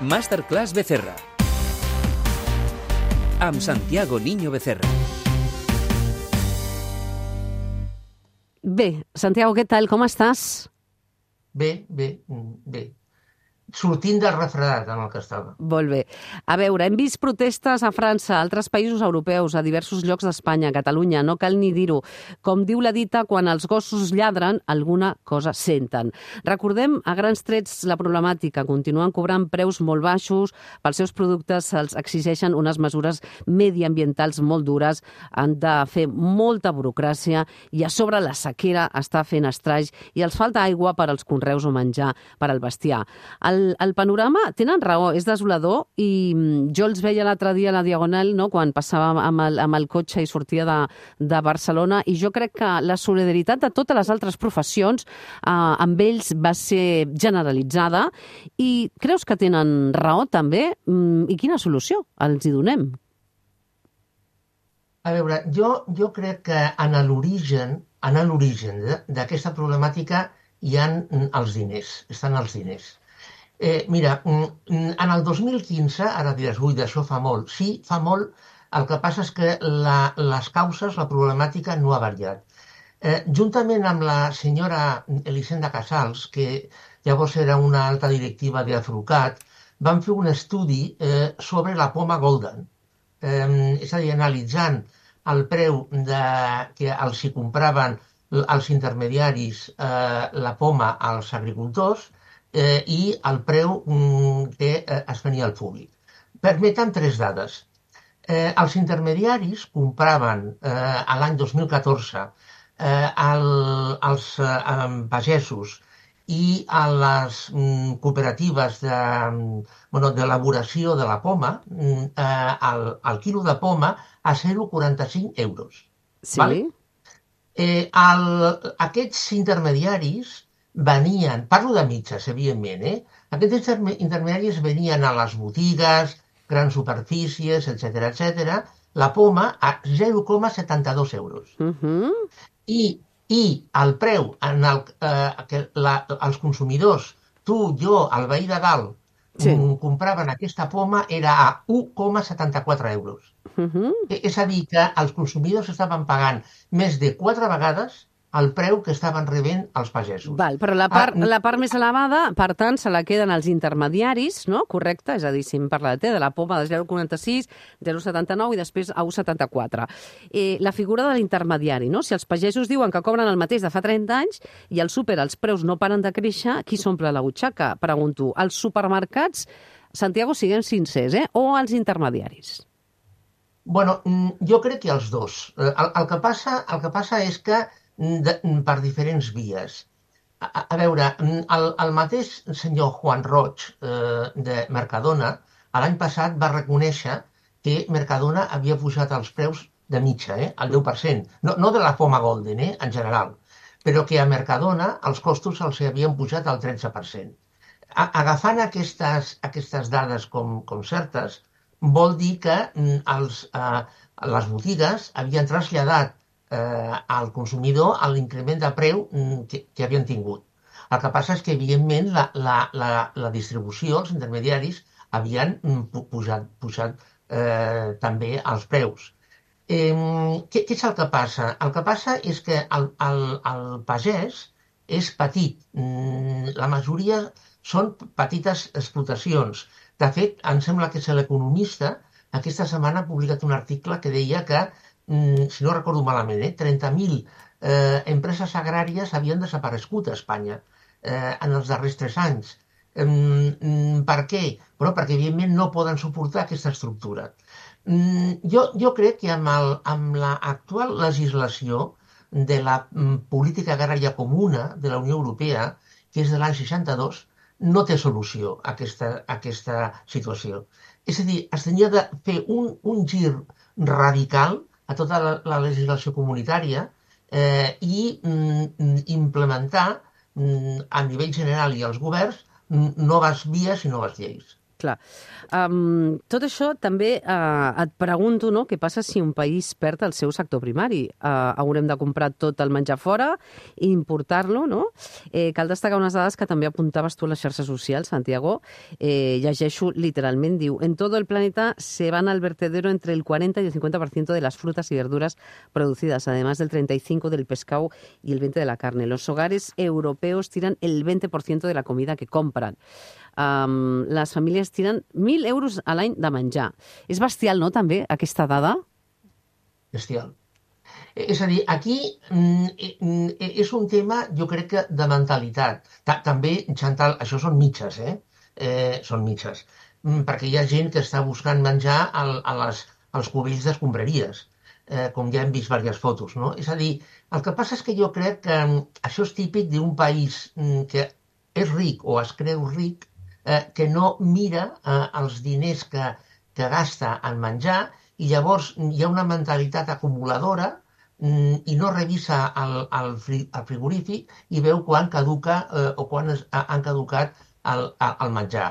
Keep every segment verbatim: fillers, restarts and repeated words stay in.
Masterclass Becerra, amb Santiago Niño Becerra. Bé, Santiago, què tal? Com estàs? Bé, bé, bé. Sortint del refredat en el que estava. Molt bé. A veure, hem vist protestes a França, a altres països europeus, a diversos llocs d'Espanya, a Catalunya, no cal ni dir-ho. Com diu la dita, quan els gossos lladren, alguna cosa senten. Recordem a grans trets la problemàtica. Continuen cobrant preus molt baixos, pels seus productes se'ls exigeixen unes mesures mediambientals molt dures, han de fer molta burocràcia i a sobre la sequera està fent estralls i els falta aigua per als conreus o menjar per al bestiar. El El, el panorama, tenen raó, és desolador i jo els veia l'altre dia a la Diagonal, no?, quan passava amb el, amb el cotxe i sortia de, de Barcelona, i jo crec que la solidaritat de totes les altres professions eh, amb ells va ser generalitzada. I creus que tenen raó també? I quina solució els hi donem? A veure, jo, jo crec que en l'origen en l'origen d'aquesta problemàtica hi ha els diners, estan els diners. Eh, mira, en el dos mil quinze, ara diràs, ui, d'això fa molt. Sí, fa molt, el que passa és que la, les causes, la problemàtica no ha variat. Eh, juntament amb la senyora Elisenda Casals, que llavors era una alta directiva d'Afrucat, van fer un estudi eh, sobre la poma golden. Eh, és a dir, analitzant el preu de, que els hi compraven els intermediaris eh, la poma als agricultors, Eh, i el preu mm, que eh, es venia al públic. Permeten tres dades. Eh, els intermediaris compraven eh, a l'any dos mil catorze eh, el, els eh, pagesos i a les mm, cooperatives de, bueno, d'elaboració de la poma mm, eh, el, el quilo de poma a zero coma quaranta-cinc euros. Sí. Vale? Eh, el, aquests intermediaris venien, parlo de mitges, evidentment, eh? Aquests intermediaris venien a les botigues, grans superfícies, etcètera, etcètera, la poma a zero coma setanta-dos euros. Uh-huh. I, I el preu en el eh, que la, els consumidors, tu, jo, el veí de dalt, sí, compraven aquesta poma era a u coma setanta-quatre euros. Uh-huh. És a dir, que els consumidors estaven pagant més de quatre vegades el preu que estaven rebent els pagesos. Val, però la part, ah, la part més elevada, per tant, se la queden els intermediaris, no? Correcte? És a dir, si em parla de, de la poma de zero coma quaranta-sis, zero coma setanta-nou i després a u coma setanta-quatre. Eh, la figura de l'intermediari, no? Si els pagesos diuen que cobren el mateix de fa trenta anys i al súper els preus no paren de créixer, qui s'omple la butxaca? Pregunto, els supermercats, Santiago, siguem sincers, eh? O els intermediaris? Bueno, jo crec que els dos. El, el, que, passa, el que passa és que De, per diferents vies. A, a veure, el, el mateix senyor Juan Roig eh, de Mercadona l'any passat va reconèixer que Mercadona havia pujat els preus de mitja, eh, al deu per cent. No, no de la poma golden, eh, en general, però que a Mercadona els costos els havien pujat al tretze per cent. A, agafant aquestes, aquestes dades com, com certes, vol dir que els, eh, les botigues havien traslladat Eh, al consumidor a l'increment de preu que, que havien tingut. El que passa és que, evidentment, la, la, la, la distribució, els intermediaris, havien pujat, pujat eh, també els preus. Eh, què, què és el que passa? El que passa és que el, el, el pagès és petit. La majoria són petites explotacions. De fet, em sembla que és l'Economista, aquesta setmana ha publicat un article que deia que si no recordo malament, eh, trenta mil eh, empreses agràries havien desaparegut a Espanya eh, en els darrers tres anys. Eh, per què? Però perquè, evidentment, no poden suportar aquesta estructura. Eh, jo, jo crec que amb, el, amb l'actual legislació de la política agrària comuna de la Unió Europea, que és de l'any seixanta-dos, no té solució a aquesta, a aquesta situació. És a dir, es tenia de fer un, un gir radical a tota la, la legislació comunitària eh, i mm, implementar mm, a nivell general i als governs mm, noves vies i noves lleis. Clar. Um, tot això també uh, et pregunto, no?, què passa si un país perd el seu sector primari. Uh, haurem de comprar tot el menjar fora i importar-lo, no? Eh, cal destacar unes dades que també apuntaves tu a les xarxes socials, Santiago. Eh, llegeixo literalment, diu, en todo el planeta se van al vertedero entre el cuarenta y el cincuenta por ciento de las frutas y verduras producidas, además del treinta y cinco por ciento del pescado y el veinte por ciento de la carne. Los hogares europeos tiran el veinte por ciento de la comida que compran. Um, les famílies tiren mil euros a l'any de menjar. És bestial, no, també, aquesta dada? Bestial. És a dir, aquí mm, és un tema, jo crec que, de mentalitat. Ta també, Chantal, això són mitges, eh? eh són mitges. Mm, perquè hi ha gent que està buscant menjar al, a les, als cubells d'escombraries, eh, com ja hem vist diverses fotos, no? És a dir, el que passa és que jo crec que això és típic d'un país mm, que és ric o es creu ric, eh, que no mira eh, els diners que, que gasta en menjar i llavors hi ha una mentalitat acumuladora mm, i no revisa el, el, fri, el frigorífic i veu quan caduca eh, o quan es, han caducat el, el menjar.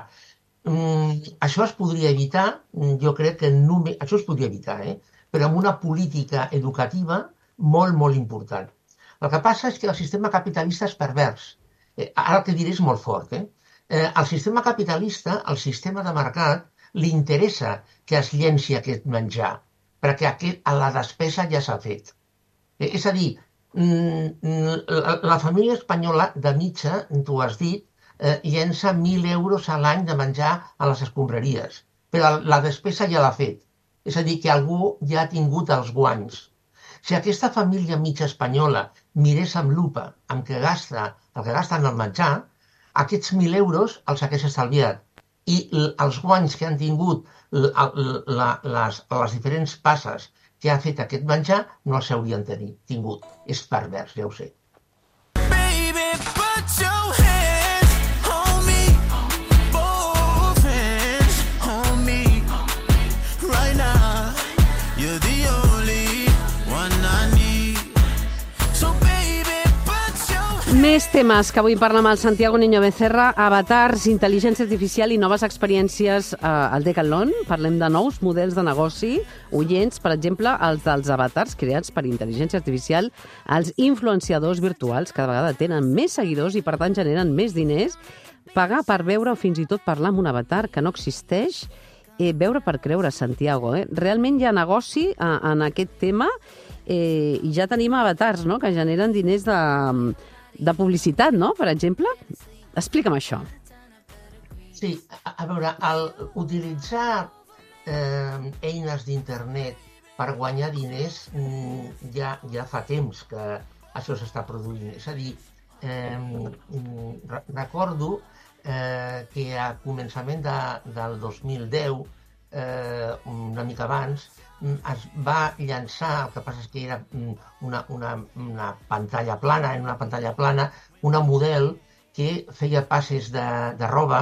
Mm, això es podria evitar, jo crec que només, això es podria evitar, eh? però amb una política educativa molt, molt important. El que passa és que el sistema capitalista és pervers. Eh, ara el que diré és molt fort, eh? Eh, el sistema capitalista, el sistema de mercat, li interessa que es llenci aquest menjar, perquè aquest, a la despesa ja s'ha fet. Eh, és a dir, la, la família espanyola de mitja, tu has dit, eh, llença mil euros a l'any de menjar a les escombraries, però la despesa ja l'ha fet. És a dir, que algú ja ha tingut els guanys. Si aquesta família mitja espanyola mirés amb lupa amb què gasta, el que gasta en el menjar, aquests mil euros els hagués estalviat. I els guanys que han tingut la, la, les, les diferents passes que ha fet aquest menjar no els haurien tingut. És pervers, ja ho sé. Baby, put your hands on me, both hands on me, right now, you're the only one I need, so baby, put your hands. Més temes que avui parla amb el Santiago Niño Becerra, avatars, intel·ligència artificial i noves experiències eh, al Decathlon. Parlem de nous models de negoci, oients, per exemple, els dels avatars creats per intel·ligència artificial. Els influenciadors virtuals cada vegada tenen més seguidors i, per tant, generen més diners. Pagar per veure o fins i tot parlar amb un avatar que no existeix. Eh, veure per creure, Santiago. Eh? Realment hi ha negoci eh, en aquest tema eh, i ja tenim avatars, no?, que generen diners de... de publicitat, no?, per exemple? Explica'm això. Sí, a, a veure, el, utilitzar eh, eines d'internet per guanyar diners mm, ja, ja fa temps que això s'està produint. És a dir, eh, recordo eh, que a començament de, del dos mil deu, eh, una mica abans, es va llançar, el que passa és que era una, una, una pantalla plana, en una pantalla plana, una model que feia passes de, de roba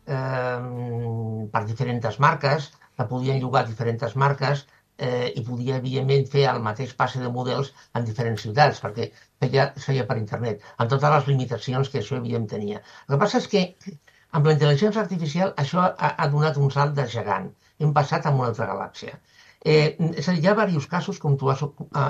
eh, per diferents marques, que podien llogar diferents marques eh, i podia, evidentment, fer el mateix passe de models en diferents ciutats, perquè feia, feia per internet, amb totes les limitacions que això, evidentment, tenia. El que passa és que amb la intel·ligència artificial això ha, ha donat un salt de gegant. Hem passat a una altra galàxia. Eh, és a dir, hi ha diversos casos, com tu has a, a,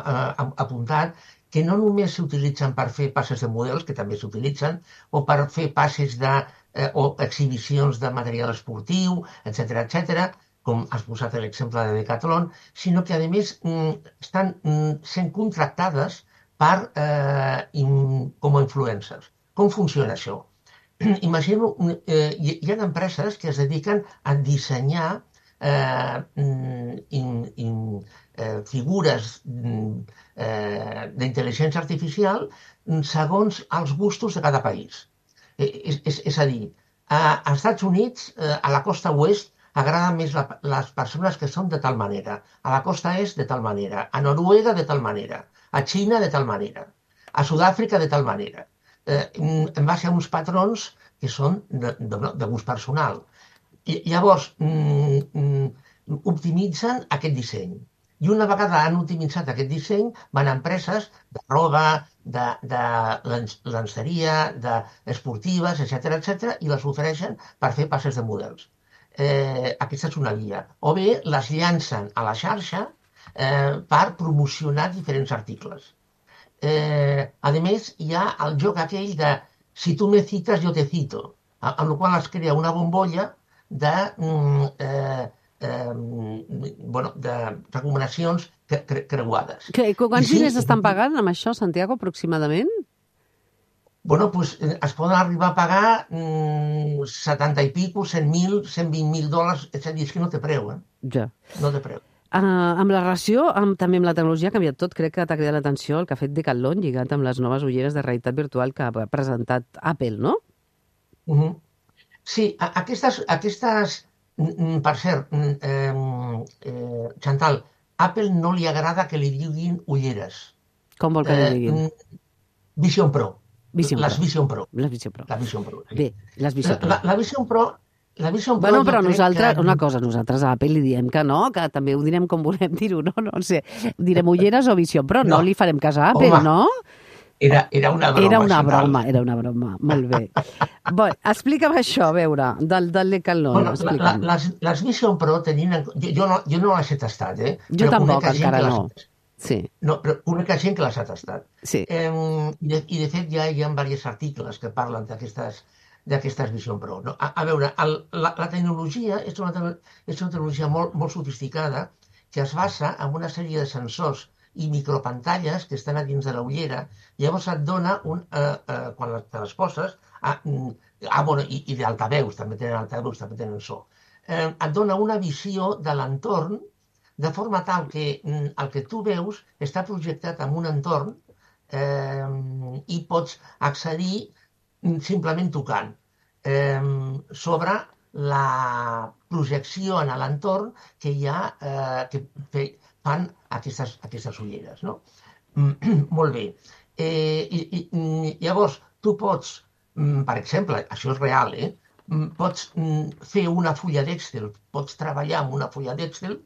a, apuntat, que no només s'utilitzen per fer passes de models, que també s'utilitzen, o per fer passes de, eh, o exhibicions de material esportiu, etcètera, etcètera, com has posat l'exemple de Decathlon, sinó que, a més, estan sent contractades per, eh, in, com a influencers. Com funciona això? Imagino, eh, hi ha empreses que es dediquen a dissenyar Eh, in, in, eh, figures eh, d'intel·ligència artificial segons els gustos de cada país. Eh, és, és, és a dir, a, als Estats Units, eh, a la costa oest, agrada més la, les persones que són de tal manera, a la costa est de tal manera, a Noruega de tal manera, a Xina de tal manera, a Sud-àfrica de tal manera, eh, en base a uns patrons que són de, de, de gust personal. I llavors, mm, mm, optimitzen aquest disseny. I una vegada han optimitzat aquest disseny, van a empreses de roba, de, de lenceria, d'esportives, etcètera, etcètera, i les ofereixen per fer passes de models. Eh, aquesta és una via. O bé les llancen a la xarxa eh, per promocionar diferents articles. Eh, a més, hi ha el joc aquell de si tu me citas, yo te cito, amb el qual es crea una bombolla de, mm, eh, eh, bueno, de recomanacions cre cre creuades. Que, quants I sí, diners estan pagant amb això, Santiago, aproximadament? Bueno, pues, eh, es poden arribar a pagar mm, setanta i pico, cent mil, cent vint mil dòlars, és a dir, és que no té preu, eh? Ja. No té preu. Uh, amb la relació, amb, també amb la tecnologia ha canviat tot. Crec que t'ha cridat l'atenció el que ha fet Decathlon lligat amb les noves ulleres de realitat virtual que ha presentat Apple, no? Uh -huh. Sí, a aquestes, aquestes mm, per cert, mm, eh, eh, Chantal, Apple no li agrada que li diguin ulleres. Com vol que li diguin? Eh, Vision Pro. Vision les Pro. Vision Pro. Les Vision Pro. La Vision Pro. Sí. Bé, les Vision Pro. La, la Vision Pro La Vision Pro bueno, però nosaltres, que... una cosa, nosaltres a Apple li diem que no, que també ho direm com volem dir-ho, no? No sé, direm ulleres o Vision Pro, no, no li farem cas a Apple, home, no? Era, era una broma. Era una broma, era una broma, molt bé. Bé, explica'm això, a veure, del, del Decathlon. Bueno, la, la, les, les Vision Pro tenien... Jo, jo, no, jo no les he tastat, eh? Jo però tampoc, encara no. Les... Sí. No, però conec gent que les ha tastat. Sí. Eh, i, de, I, de fet, ja hi ha diversos articles que parlen d'aquestes d'aquestes Vision Pro. No? A, a veure, el, la, la tecnologia és una, és una tecnologia molt, molt sofisticada que es basa en una sèrie de sensors i micropantalles que estan a dins de la ullera. Llavors et dona, un, eh, eh, quan te les poses, ah, ah, bueno, i, i d'altaveus, també tenen altaveus, també tenen so, eh, et dona una visió de l'entorn de forma tal que mm, el que tu veus està projectat en un entorn eh, i pots accedir simplement tocant eh, sobre la projecció en l'entorn que hi ha, eh, que fan aquestes, aquestes ulleres, no? Molt bé. Eh, i, i, llavors, tu pots, per exemple, això és real, eh? Pots fer una fulla d'Excel, pots treballar amb una fulla d'Excel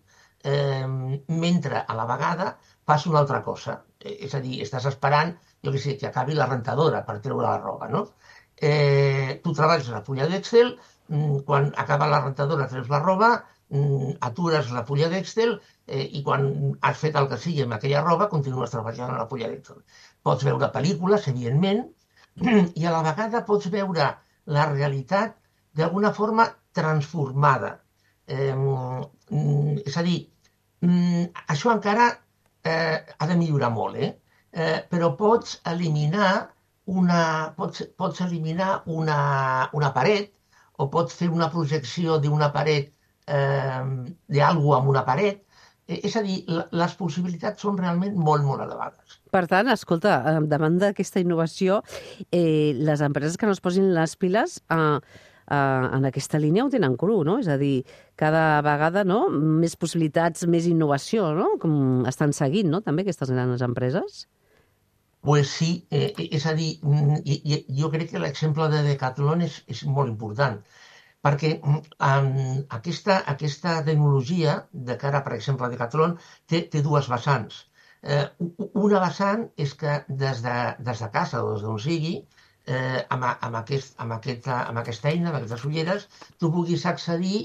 eh, mentre a la vegada fas una altra cosa. És a dir, estàs esperant, jo què sé, que acabi la rentadora per treure la roba, no? Eh, tu treballes a la fulla d'Excel, quan acaba la rentadora treus la roba, atures la fulla d'Excel eh, i quan has fet el que sigui amb aquella roba continues treballant a la fulla d'Excel. Pots veure pel·lícules, evidentment, i a la vegada pots veure la realitat d'alguna forma transformada. Eh, és a dir, això encara eh, ha de millorar molt, eh? Eh, però pots eliminar una, pots, pots eliminar una, una paret o pots fer una projecció d'una paret, eh, d'algú amb una paret. Eh, és a dir, les possibilitats són realment molt, molt elevades. Per tant, escolta, davant d'aquesta innovació, eh, les empreses que no es posin les piles eh, eh, en aquesta línia ho tenen cru, no? És a dir, cada vegada no? Més possibilitats, més innovació, no? Com estan seguint, no? També aquestes grans empreses. Pues sí, eh, és a dir, jo crec que l'exemple de Decathlon és, és molt important, perquè um, aquesta, aquesta tecnologia, de cara, per exemple, a Decathlon, té, té dues vessants. Eh, una vessant és que des de, des de casa o des d'on sigui, eh, amb, amb, aquest, amb, aquesta, amb aquesta eina, amb aquestes ulleres, tu puguis accedir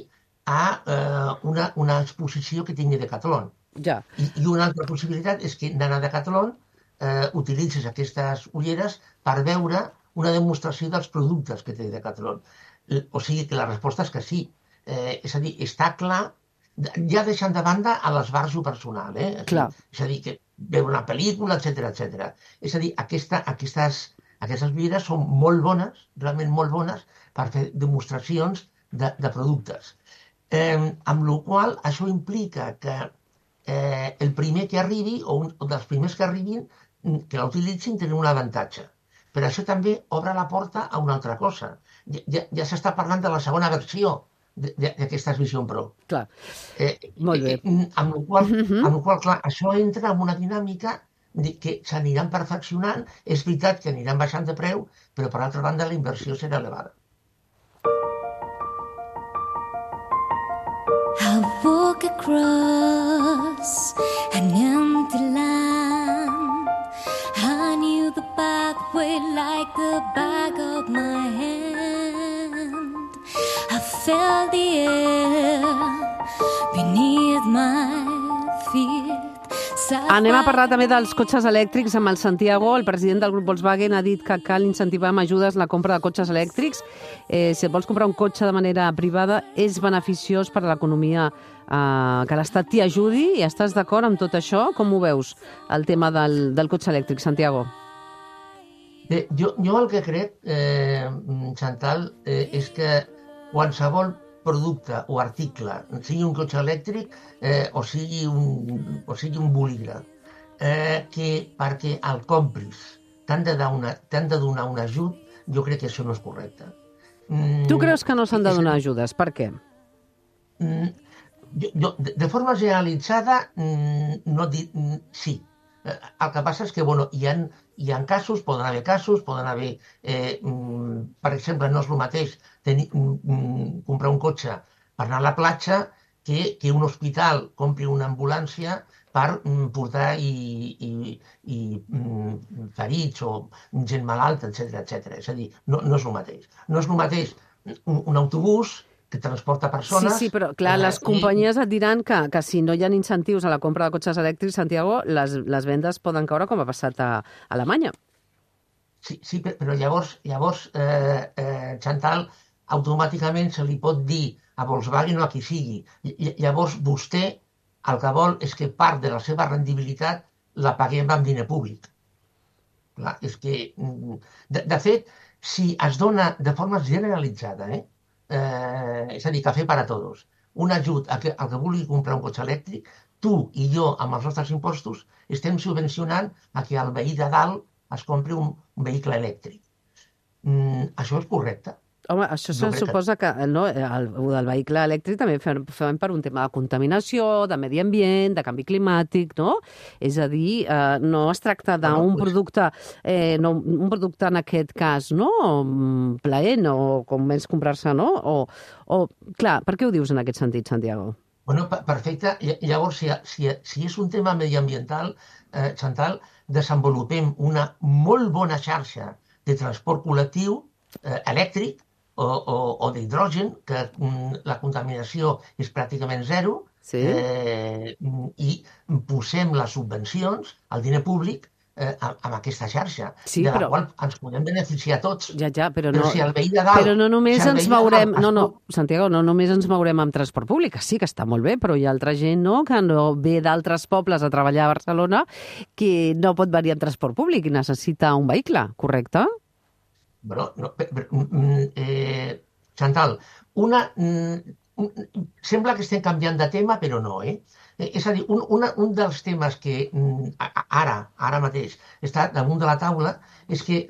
a eh, una, una exposició que tingui Decathlon. Ja. I, I una altra possibilitat és que anant a Decathlon Eh, utilitzes aquestes ulleres per veure una demostració dels productes que té Decathlon. O sigui que la resposta és que sí. Eh, és a dir, està clar, ja deixant de banda a l'esbarjo personal, eh? Clar. És a dir, que veure una pel·lícula, etcètera, etcètera. És a dir, aquesta, aquestes, aquestes ulleres són molt bones, realment molt bones, per fer demostracions de, de productes. Eh, amb la qual cosa, això implica que eh, el primer que arribi, o un o dels primers que arribin, que la utilitzin tenen un avantatge. Però això també obre la porta a una altra cosa. Ja, ja, ja s'està parlant de la segona versió d'aquestes Vision Pro. Clar, eh, molt bé. Eh, amb la qual, amb la qual, clar, això entra en una dinàmica que s'aniran perfeccionant. És veritat que aniran baixant de preu, però per altra banda la inversió serà elevada. I walk across an empty land. I knew the pathway like the back of my hand. I felt the air Anem a parlar també dels cotxes elèctrics amb el Santiago. El president del grup Volkswagen ha dit que cal incentivar amb ajudes la compra de cotxes elèctrics. Eh, si et vols comprar un cotxe de manera privada, és beneficiós per a l'economia eh, que l'Estat t'hi ajudi. I estàs d'acord amb tot això? Com ho veus, el tema del, del cotxe elèctric, Santiago? Bé, jo, jo el que crec, eh, Chantal, eh, és que qualsevol producte o article, sigui un cotxe elèctric eh, o, sigui un, o sigui un bolígraf, eh, que perquè el compris t'han de, de donar un ajut, jo crec que això no és correcte. Mm, tu creus que no s'han de donar ajudes? Per què? Mm, jo, jo, de, de forma generalitzada, mm, no di, mm, sí. El que passa és que bueno, hi, ha, hi ha casos, poden haver casos, poden haver, eh, mm, per exemple, no és el mateix tenir, mm, comprar un cotxe per anar a la platja que, que un hospital compri una ambulància per mm, portar i, i, i mm, ferits o gent malalta, etcètera, etcètera. És a dir, no, no és el mateix. No és el mateix un, un autobús que transporta persones... Sí, sí, però clar, les companyies et diran que, que si no hi ha incentius a la compra de cotxes elèctrics, Santiago, les, les vendes poden caure com ha passat a, a Alemanya. Sí, sí, però llavors, llavors eh, eh, Chantal, automàticament se li pot dir a Volkswagen o a qui sigui. Llavors vostè el que vol és que part de la seva rendibilitat la paguem amb diner públic. Clar, és que, de, de fet, si es dona de forma generalitzada, eh, Eh, és a dir, cafè per a tots, un ajut a que, al que vulgui comprar un cotxe elèctric, tu i jo, amb els nostres impostos, estem subvencionant a que el veí de dalt es compri un, un vehicle elèctric. Mm, això és correcte? Home, això se suposa que, que no, el, el del vehicle elèctric també fem, fem per un tema de contaminació, de medi ambient, de canvi climàtic, no? És a dir, eh, no es tracta d'un bueno, producte, eh, no, un producte en aquest cas, no? Plaent o com més comprar-se, no? O, o, clar, per què ho dius en aquest sentit, Santiago? Bueno, perfecte. Llavors, si, si, si és un tema mediambiental, eh, Chantal, desenvolupem una molt bona xarxa de transport col·lectiu eh, elèctric, o, o, o d'hidrogen, que mm, la contaminació és pràcticament zero, sí. eh, i posem les subvencions, el diner públic, eh, amb aquesta xarxa, sí, de la però... qual ens podem beneficiar tots. Ja, ja, però no, però si el veí de dalt... Però no només si ens veurem... No, no, Santiago, no només ens veurem amb transport públic, sí que està molt bé, però hi ha altra gent, no?, que no ve d'altres pobles a treballar a Barcelona que no pot venir amb transport públic i necessita un vehicle, correcte? Bueno, no, eh, Chantal, una, un, sembla que estem canviant de tema, però no, eh? És a dir, un, una, un dels temes que ara, ara mateix està damunt de la taula és que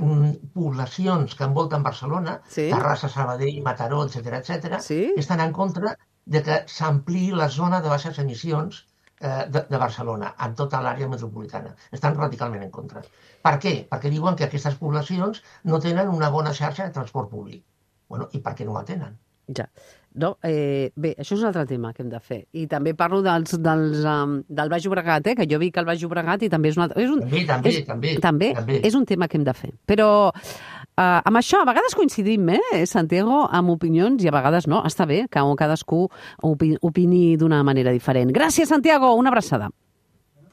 poblacions que envolten Barcelona, sí. Terrassa, Sabadell, Mataró, etcètera, etcètera, sí. estan en contra de que s'ampliï la zona de baixes emissions eh, de, de Barcelona, en tota l'àrea metropolitana. Estan radicalment en contra. Per què? Perquè diuen que aquestes poblacions no tenen una bona xarxa de transport públic. Bueno, i per què no la tenen? Ja. No, eh, bé, això és un altre tema que hem de fer. I també parlo dels, dels, um, del Baix Llobregat, eh, que jo vic al Baix Llobregat i també és un altre... És un, també, també, és, també, també. També és un tema que hem de fer. Però uh, amb això a vegades coincidim, eh, Santiago, amb opinions i a vegades no. Està bé que cadascú opi, opini d'una manera diferent. Gràcies, Santiago. Una abraçada.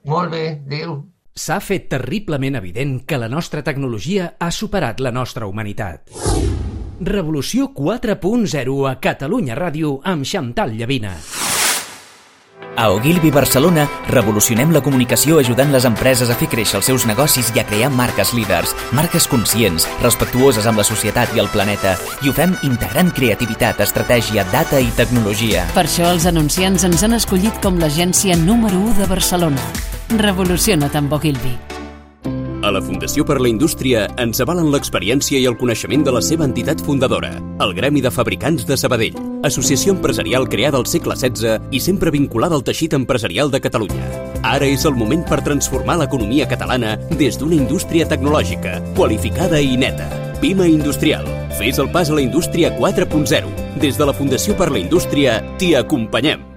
Molt bé. Adéu. S'ha fet terriblement evident que la nostra tecnologia ha superat la nostra humanitat. Revolució quatre punt zero a Catalunya Ràdio amb Chantal Llavina. A Ogilvy Barcelona revolucionem la comunicació ajudant les empreses a fer créixer els seus negocis i a crear marques líders, marques conscients, respectuoses amb la societat i el planeta, i ho fem integrant creativitat, estratègia, data i tecnologia. Per això els anunciants ens han escollit com l'agència número u de Barcelona. Revoluciona't amb Ogilvy. A la Fundació per la Indústria ens avalen l'experiència i el coneixement de la seva entitat fundadora, el Gremi de Fabricants de Sabadell, associació empresarial creada al segle setze i sempre vinculada al teixit empresarial de Catalunya. Ara és el moment per transformar l'economia catalana des d'una indústria tecnològica, qualificada i neta. Pima Industrial. Fes el pas a la indústria quatre punt zero. Des de la Fundació per la Indústria t'hi acompanyem.